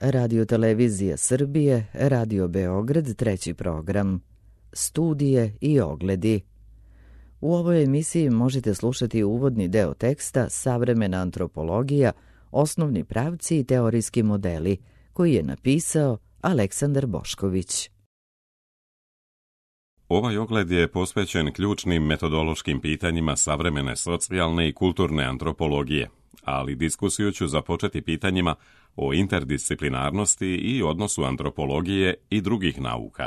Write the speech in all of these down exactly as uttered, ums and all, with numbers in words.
Radio-televizija Srbije, Radio Beograd, treći program. Studije i ogledi. U ovoj emisiji možete slušati uvodni deo teksta Savremena antropologija, osnovni pravci i teorijski modeli, koji je napisao Aleksandar Bošković. Ovaj ogled je posvećen ključnim metodološkim pitanjima savremene socijalne i kulturne antropologije, ali diskusiju ću započeti pitanjima o interdisciplinarnosti i odnosu antropologije i drugih nauka.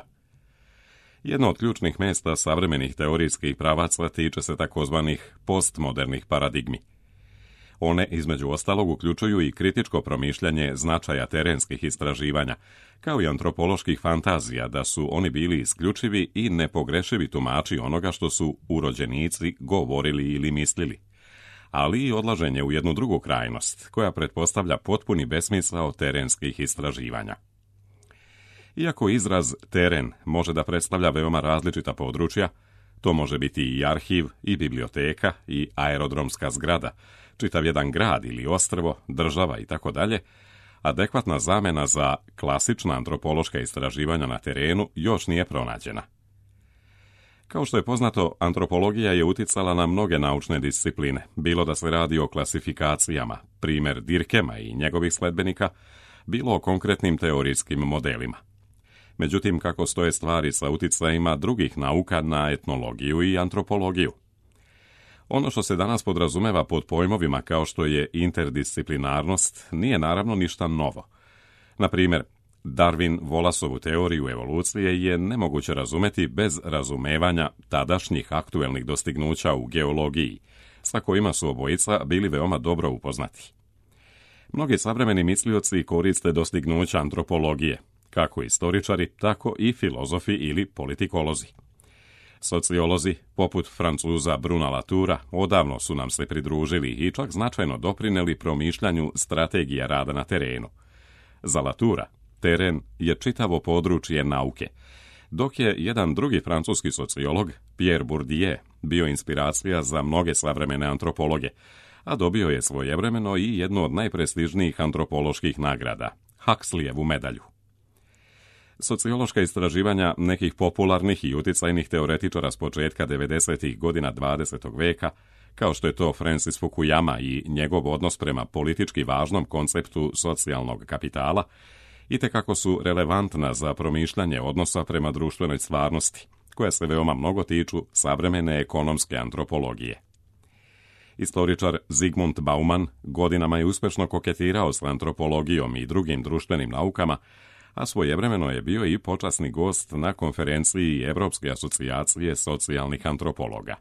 Jedno od ključnih mjesta savremenih teorijskih pravaca tiče se takozvanih postmodernih paradigmi. One, između ostalog, uključuju i kritičko promišljanje značaja terenskih istraživanja, kao i antropoloških fantazija da su oni bili isključivi i nepogrešivi tumači onoga što su urođenici govorili ili mislili, ali i odlaženje u jednu drugu krajnost, koja pretpostavlja potpuni besmisao terenskih istraživanja. Iako izraz teren može da predstavlja veoma različita područja, to može biti i arhiv, i biblioteka, i aerodromska zgrada, čitav jedan grad ili ostrvo, država i tako dalje, adekvatna zamena za klasična antropološka istraživanja na terenu još nije pronađena. Kao što je poznato, antropologija je uticala na mnoge naučne discipline, bilo da se radi o klasifikacijama, primjer Dirkema i njegovih sledbenika, bilo o konkretnim teorijskim modelima. Međutim, kako stoje stvari sa uticajima drugih nauka na etnologiju i antropologiju? Ono što se danas podrazumeva pod pojmovima kao što je interdisciplinarnost nije naravno ništa novo. Na primjer, Darwin-Wallaceovu teoriju evolucije je nemoguće razumeti bez razumevanja tadašnjih aktuelnih dostignuća u geologiji, sa kojima su obojica bili veoma dobro upoznati. Mnogi savremeni mislioci koriste dostignuća antropologije, kako istoričari, tako i filozofi ili politikolozi. Sociolozi, poput Francuza Bruna Latoura, odavno su nam se pridružili i čak značajno doprineli promišljanju strategija rada na terenu. Za Latoura, teren je čitavo područje nauke, dok je jedan drugi francuski sociolog, Pierre Bourdieu, bio inspiracija za mnoge savremene antropologe, a dobio je svojevremeno i jednu od najprestižnijih antropoloških nagrada, Huxleyevu medalju. Sociološka istraživanja nekih popularnih i uticajnih teoretičara s početka devedesetih godina dvadesetog veka, kao što je to Francis Fukuyama i njegov odnos prema politički važnom konceptu socijalnog kapitala, itekako su relevantna za promišljanje odnosa prema društvenoj stvarnosti, koja se veoma mnogo tiču savremene ekonomske antropologije. Istoričar Zygmunt Bauman godinama je uspješno koketirao s antropologijom i drugim društvenim naukama, a svojevremeno je bio i počasni gost na konferenciji Evropske asocijacije socijalnih antropologa.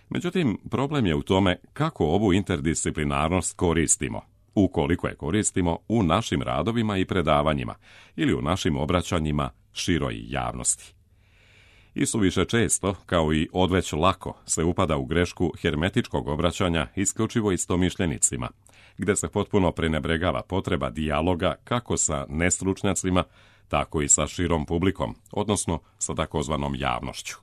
Međutim, problem je u tome kako ovu interdisciplinarnost koristimo, ukoliko je koristimo u našim radovima i predavanjima ili u našim obraćanjima široj javnosti. Isuviše često, kao i odveć lako, se upada u grešku hermetičkog obraćanja isključivo istomišljenicima, gde se potpuno prenebregava potreba dijaloga kako sa nestručnjacima, tako i sa širom publikom, odnosno sa takozvanom javnošću.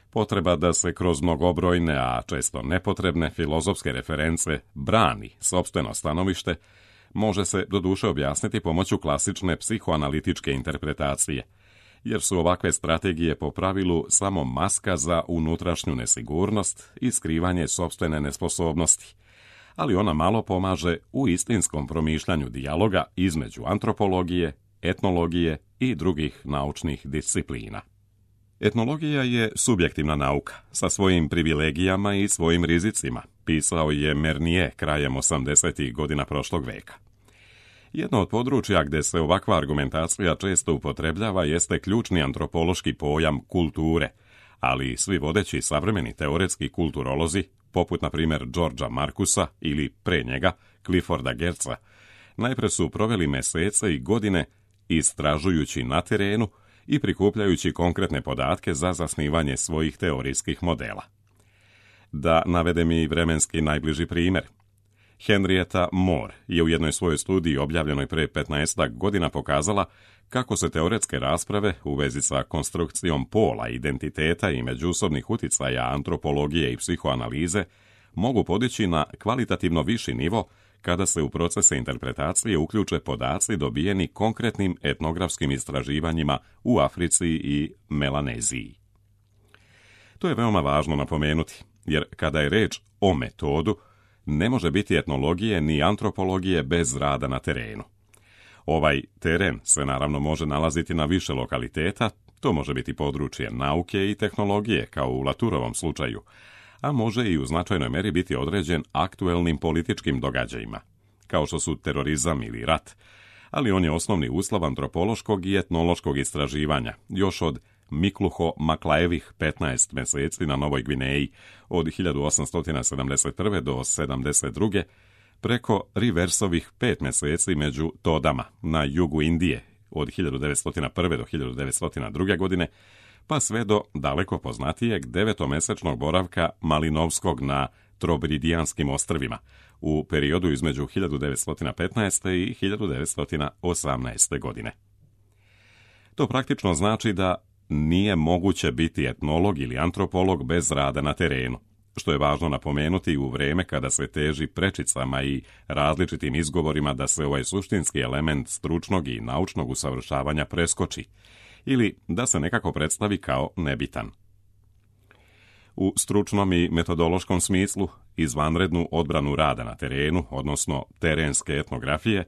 Potreba da se kroz mnogobrojne, a često nepotrebne filozofske reference brani sopstveno stanovište, može se doduše objasniti pomoću klasične psihoanalitičke interpretacije, jer su ovakve strategije po pravilu samo maska za unutrašnju nesigurnost i skrivanje sopstvene nesposobnosti, ali ona malo pomaže u istinskom promišljanju dijaloga između antropologije, etnologije i drugih naučnih disciplina. Etnologija je subjektivna nauka, sa svojim privilegijama i svojim rizicima, pisao je Mernier krajem osamdesetih godina prošlog veka. Jedno od područja gdje se ovakva argumentacija često upotrebljava jeste ključni antropološki pojam kulture, ali svi vodeći savremeni teoretski kulturolozi, poput na primjer Georgea Marcusa ili pre njega Clifforda Geertza, najpre su proveli mesece i godine istražujući na terenu i prikupljajući konkretne podatke za zasnivanje svojih teorijskih modela. Da navedem i vremenski najbliži primjer. Henrietta Moore je u jednoj svojoj studiji objavljenoj pre petnaestak godina pokazala kako se teoretske rasprave u vezi sa konstrukcijom pola, identiteta i međusobnih uticaja antropologije i psihoanalize mogu podići na kvalitativno viši nivo kada se u procese interpretacije uključe podaci dobijeni konkretnim etnografskim istraživanjima u Africi i Melaneziji. To je veoma važno napomenuti, jer kada je reč o metodu, ne može biti etnologije ni antropologije bez rada na terenu. Ovaj teren se naravno može nalaziti na više lokaliteta, to može biti područje nauke i tehnologije, kao u Laturovom slučaju, a može i u značajnoj meri biti određen aktuelnim političkim događajima, kao što su terorizam ili rat, ali on je osnovni uslov antropološkog i etnološkog istraživanja, još od Mikluho Maklaevih petnaest meseci na Novoj Gvineji od hiljadu osamsto sedamdeset prve do sedamdeset druge, preko Riversovih pet meseci među Todama na jugu Indije od hiljadu devetsto prve do hiljadu devetsto druge godine, pa sve do daleko poznatijeg devetomesečnog boravka Malinovskog na Trobridijanskim ostrvima u periodu između hiljadu devetsto petnaeste i hiljadu devetsto osamnaeste godine. To praktično znači da nije moguće biti etnolog ili antropolog bez rada na terenu, što je važno napomenuti u vrijeme kada se teži prečicama i različitim izgovorima da se ovaj suštinski element stručnog i naučnog usavršavanja preskoči ili da se nekako predstavi kao nebitan. U stručnom i metodološkom smislu, izvanrednu odbranu rada na terenu, odnosno terenske etnografije,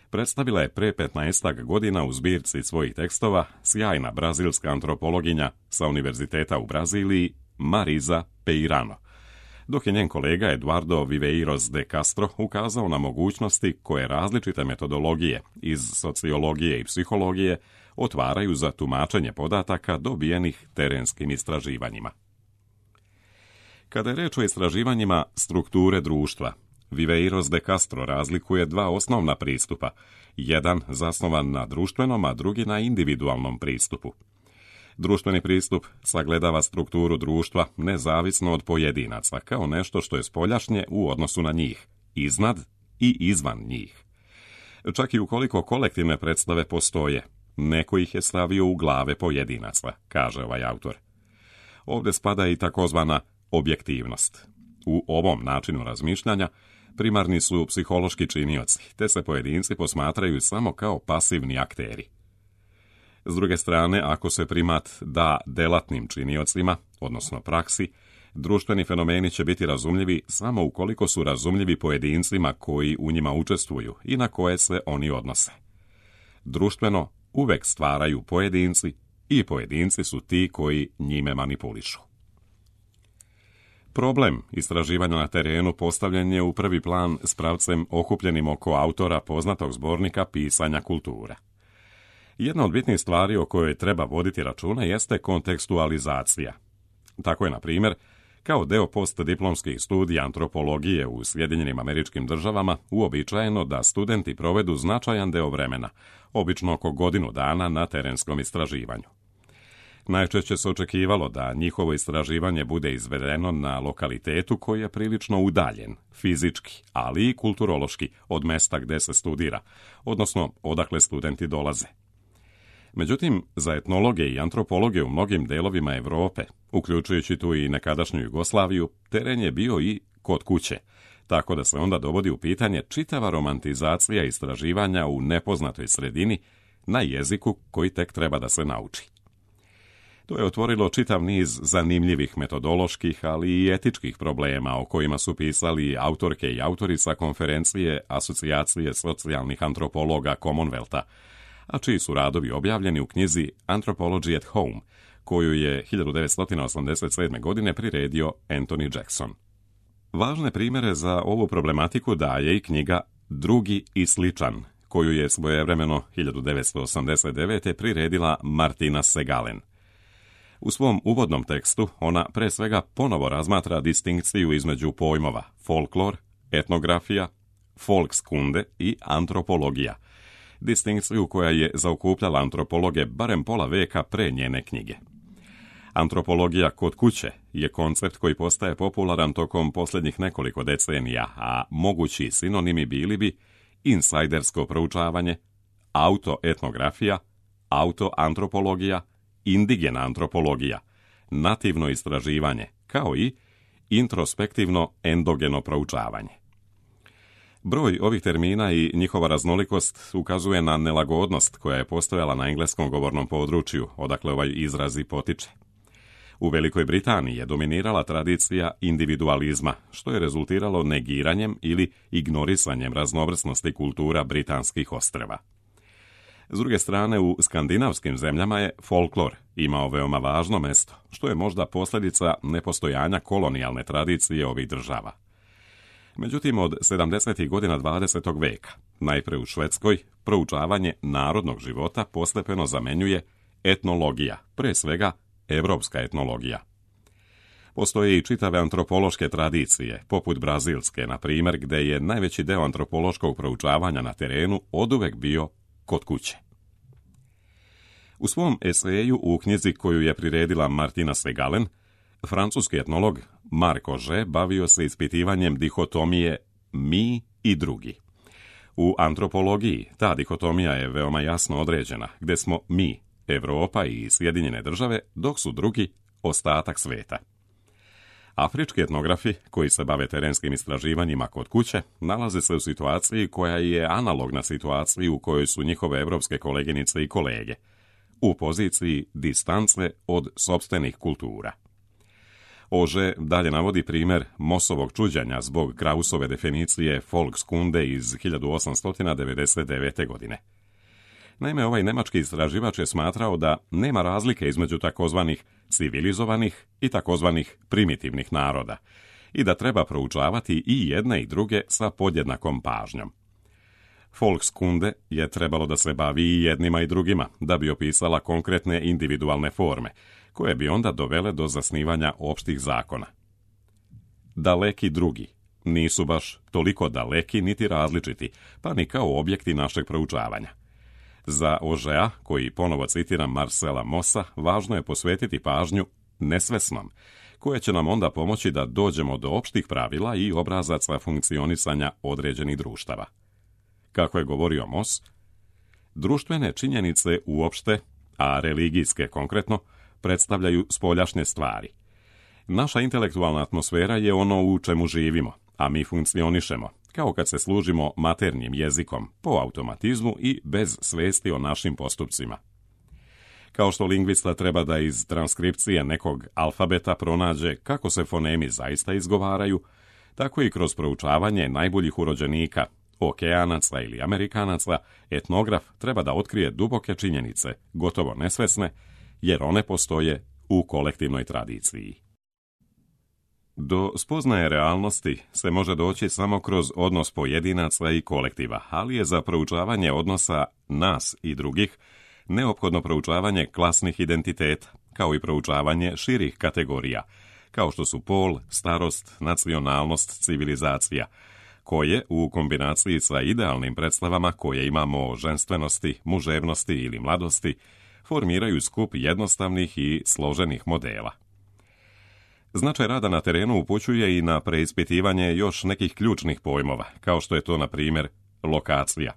predstavila je pre petnaestak godina u zbirci svojih tekstova sjajna brazilska antropologinja sa Univerziteta u Braziliji Marisa Peirano, dok je njen kolega Eduardo Viveiros de Castro ukazao na mogućnosti koje različite metodologije iz sociologije i psihologije otvaraju za tumačenje podataka dobijenih terenskim istraživanjima. Kada je reč o istraživanjima strukture društva, Viveiros de Castro razlikuje dva osnovna pristupa, jedan zasnovan na društvenom, a drugi na individualnom pristupu. Društveni pristup sagledava strukturu društva nezavisno od pojedinaca, kao nešto što je spoljašnje u odnosu na njih, iznad i izvan njih. Čak i ukoliko kolektivne predstave postoje, neko ih je stavio u glave pojedinaca, kaže ovaj autor. Ovdje spada i takozvana objektivnost. U ovom načinu razmišljanja primarni su psihološki činioci, te se pojedinci posmatraju samo kao pasivni akteri. S druge strane, ako se primat da delatnim činiocima, odnosno praksi, društveni fenomeni će biti razumljivi samo ukoliko su razumljivi pojedincima koji u njima učestvuju i na koje se oni odnose. Društveno uvek stvaraju pojedinci i pojedinci su ti koji njime manipulišu. Problem istraživanja na terenu postavljen je u prvi plan s pravcem okupljenim oko autora poznatog zbornika pisanja kultura. Jedna od bitnih stvari o kojoj treba voditi računa jeste kontekstualizacija. Tako je, na primjer, kao deo postdiplomskih studija antropologije u Sjedinjenim Američkim Državama uobičajeno da studenti provedu značajan deo vremena, obično oko godinu dana na terenskom istraživanju. Najčešće se očekivalo da njihovo istraživanje bude izvedeno na lokalitetu koji je prilično udaljen, fizički, ali i kulturološki, od mesta gde se studira, odnosno odakle studenti dolaze. Međutim, za etnologe i antropologe u mnogim delovima Europe, uključujući tu i nekadašnju Jugoslaviju, teren je bio i kod kuće, tako da se onda dovodi u pitanje čitava romantizacija istraživanja u nepoznatoj sredini na jeziku koji tek treba da se nauči. To je otvorilo čitav niz zanimljivih metodoloških, ali i etičkih problema o kojima su pisali autorke i autori sa konferencije Asocijacije socijalnih antropologa Commonwealtha, a čiji su radovi objavljeni u knjizi Anthropology at Home, koju je hiljadu devetsto osamdeset sedme. godine priredio Anthony Jackson. Važne primjere za ovu problematiku daje i knjiga Drugi i sličan, koju je svojevremeno hiljadu devetsto osamdeset devete. priredila Martina Segalen. U svom uvodnom tekstu ona pre svega ponovo razmatra distinkciju između pojmova folklor, etnografija, folkskunde i antropologija, distinkciju koja je zaokupljala antropologe barem pola veka pre njene knjige. Antropologija kod kuće je koncept koji postaje popularan tokom posljednjih nekoliko decenija, a mogući sinonimi bili bi insajdersko proučavanje, autoetnografija, autoantropologija, indigena antropologija, nativno istraživanje, kao i introspektivno endogeno proučavanje. Broj ovih termina i njihova raznolikost ukazuje na nelagodnost koja je postojala na engleskom govornom području, odakle ovaj izraz i potiče. U Velikoj Britaniji je dominirala tradicija individualizma, što je rezultiralo negiranjem ili ignorisanjem raznovrsnosti kultura britanskih ostrva. S druge strane, u skandinavskim zemljama je folklor imao veoma važno mesto, što je možda posljedica nepostojanja kolonijalne tradicije ovih država. Međutim, od sedamdesetih godina dvadesetog veka, najpre u Švedskoj, proučavanje narodnog života postepeno zamenjuje etnologija, pre svega evropska etnologija. Postoje i čitave antropološke tradicije, poput brazilske, na primjer, gde je najveći deo antropološkog proučavanja na terenu oduvek bio kod kuće. U svom eseju u knjizi koju je priredila Martina Segalen, francuski etnolog Marc Augé bavio se ispitivanjem dihotomije mi i drugi. U antropologiji ta dihotomija je veoma jasno određena, gde smo mi, Evropa i Sjedinjene države, dok su drugi ostatak sveta. Afrički etnografi, koji se bave terenskim istraživanjima kod kuće, nalaze se u situaciji koja je analogna situaciji u kojoj su njihove evropske koleginice i kolege, u poziciji distance od sopstvenih kultura. Augé dalje navodi primjer Mossovog čuđenja zbog Krausove definicije Volkskunde iz hiljadu osamsto devedeset devete. godine. Naime, ovaj nemački istraživač je smatrao da nema razlike između takozvanih civilizovanih i takozvanih primitivnih naroda i da treba proučavati i jedne i druge sa podjednakom pažnjom. Volkskunde je trebalo da se bavi i jednima i drugima, da bi opisala konkretne individualne forme, koje bi onda dovele do zasnivanja opštih zakona. Daleki drugi nisu baš toliko daleki niti različiti, pa ni kao objekti našeg proučavanja. Za Augéa, koji ponovo citiram Marcela Mossa, važno je posvetiti pažnju nesvesnom, koje će nam onda pomoći da dođemo do opštih pravila i obrazaca funkcionisanja određenih društava. Kako je govorio Moss, društvene činjenice uopšte, a religijske konkretno, predstavljaju spoljašnje stvari. Naša intelektualna atmosfera je ono u čemu živimo, a mi funkcionišemo, kao kad se služimo maternjim jezikom, po automatizmu i bez svesti o našim postupcima. Kao što lingvista treba da iz transkripcije nekog alfabeta pronađe kako se fonemi zaista izgovaraju, tako i kroz proučavanje najboljih urođenika, okeanaca ili Amerikanaca, etnograf treba da otkrije duboke činjenice, gotovo nesvesne, jer one postoje u kolektivnoj tradiciji. Do spoznaje realnosti se može doći samo kroz odnos pojedinaca i kolektiva, ali je za proučavanje odnosa nas i drugih neophodno proučavanje klasnih identiteta, kao i proučavanje širih kategorija, kao što su pol, starost, nacionalnost, civilizacija, koje, u kombinaciji sa idealnim predstavama koje imamo o ženstvenosti, muževnosti ili mladosti, formiraju skup jednostavnih i složenih modela. Značaj rada na terenu upućuje i na preispitivanje još nekih ključnih pojmova, kao što je to, na primjer, lokacija.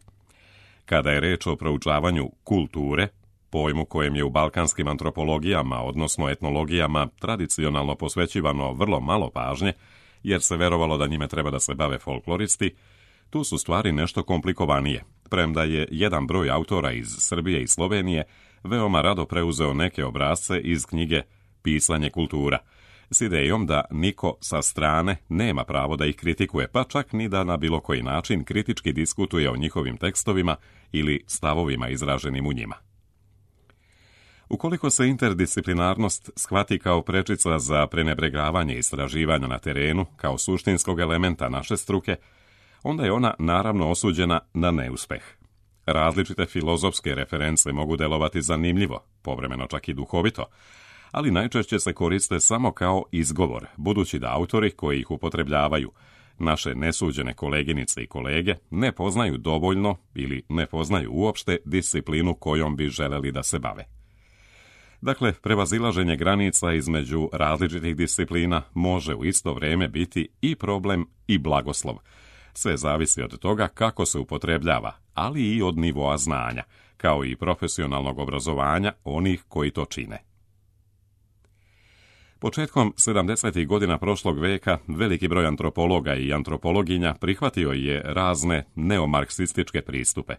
Kada je reč o proučavanju kulture, pojmu kojem je u balkanskim antropologijama, odnosno etnologijama, tradicionalno posvećivano vrlo malo pažnje, jer se verovalo da njime treba da se bave folkloristi, tu su stvari nešto komplikovanije, premda je jedan broj autora iz Srbije i Slovenije veoma rado preuzeo neke obrasce iz knjige Pisanje kultura, s idejom da niko sa strane nema pravo da ih kritikuje, pa čak ni da na bilo koji način kritički diskutuje o njihovim tekstovima ili stavovima izraženim u njima. Ukoliko se interdisciplinarnost shvati kao prečica za prenebregavanje istraživanja na terenu kao suštinskog elementa naše struke, onda je ona naravno osuđena na neuspeh. Različite filozofske reference mogu delovati zanimljivo, povremeno čak i duhovito, ali najčešće se koriste samo kao izgovor, budući da autori koji ih upotrebljavaju, naše nesuđene koleginice i kolege, ne poznaju dovoljno ili ne poznaju uopšte disciplinu kojom bi želeli da se bave. Dakle, prevazilaženje granica između različitih disciplina može u isto vrijeme biti i problem i blagoslov. Sve zavisi od toga kako se upotrebljava, ali i od nivoa znanja, kao i profesionalnog obrazovanja onih koji to čine. Početkom sedamdesetih godina prošlog veka veliki broj antropologa i antropologinja prihvatio je razne neomarksističke pristupe.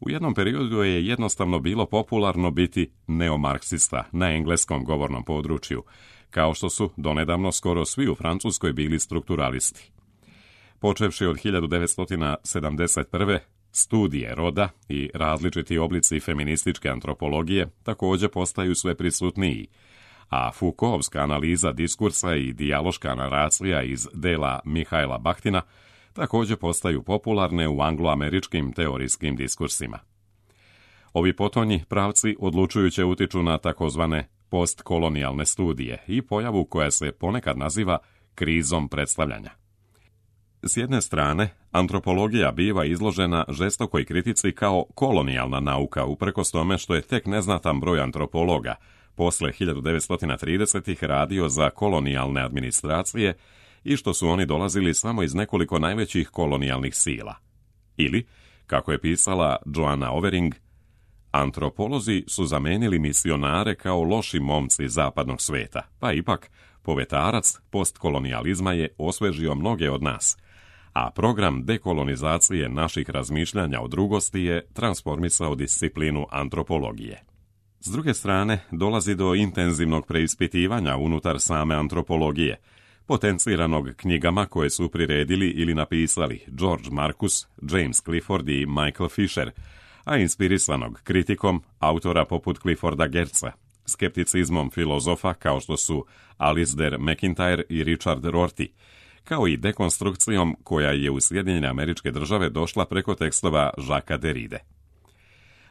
U jednom periodu je jednostavno bilo popularno biti neomarksista na engleskom govornom području, kao što su donedavno skoro svi u Francuskoj bili strukturalisti. Počevši od hiljadu devetsto sedamdeset prve. studije roda i različiti oblici feminističke antropologije također postaju sve prisutniji, a Foucaultska analiza diskursa i dijaloška naracija iz dela Mihaela Bachtina također postaju popularne u angloameričkim teorijskim diskursima. Ovi potonji pravci odlučujuće utiču na takozvane postkolonijalne studije i pojavu koja se ponekad naziva krizom predstavljanja. S jedne strane, antropologija biva izložena žestokoj kritici kao kolonijalna nauka, uprkos tome što je tek neznatan broj antropologa posle hiljadu devetsto tridesetih radio za kolonijalne administracije i što su oni dolazili samo iz nekoliko najvećih kolonijalnih sila. Ili, kako je pisala Joanna Overing, antropolozi su zamenili misionare kao loši momci zapadnog sveta, pa ipak povetarac postkolonijalizma je osvežio mnoge od nas, a program dekolonizacije naših razmišljanja o drugosti je transformisao disciplinu antropologije. S druge strane, dolazi do intenzivnog preispitivanja unutar same antropologije, potenciranog knjigama koje su priredili ili napisali George Marcus, James Clifford i Michael Fisher, a inspirisanog kritikom autora poput Clifforda Geertza, skepticizmom filozofa kao što su Alasdair MacIntyre i Richard Rorty, kao i dekonstrukcijom koja je u Sjedinjene Američke Države došla preko tekstova Jacquesa Derride.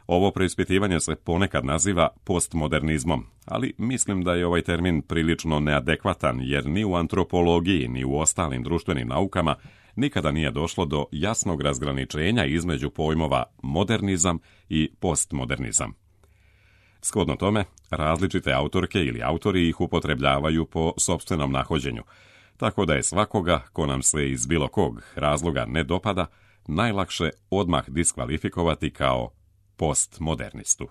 Ovo preispitivanje se ponekad naziva postmodernizmom, ali mislim da je ovaj termin prilično neadekvatan jer ni u antropologiji ni u ostalim društvenim naukama nikada nije došlo do jasnog razgraničenja između pojmova modernizam i postmodernizam. Shodno tome, različite autorke ili autori ih upotrebljavaju po sopstvenom nahođenju, tako da je svakoga ko nam se iz bilo kog razloga ne dopada najlakše odmah diskvalifikovati kao postmodernistu.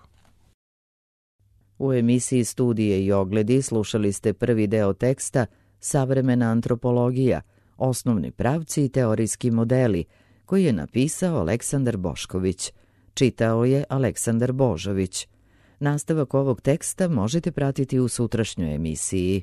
U emisiji Studije i ogledi slušali ste prvi deo teksta Savremena antropologija, osnovni pravci i teorijski modeli, koji je napisao Aleksandar Bošković. Čitao je Aleksandar Božović. Nastavak ovog teksta možete pratiti u sutrašnjoj emisiji.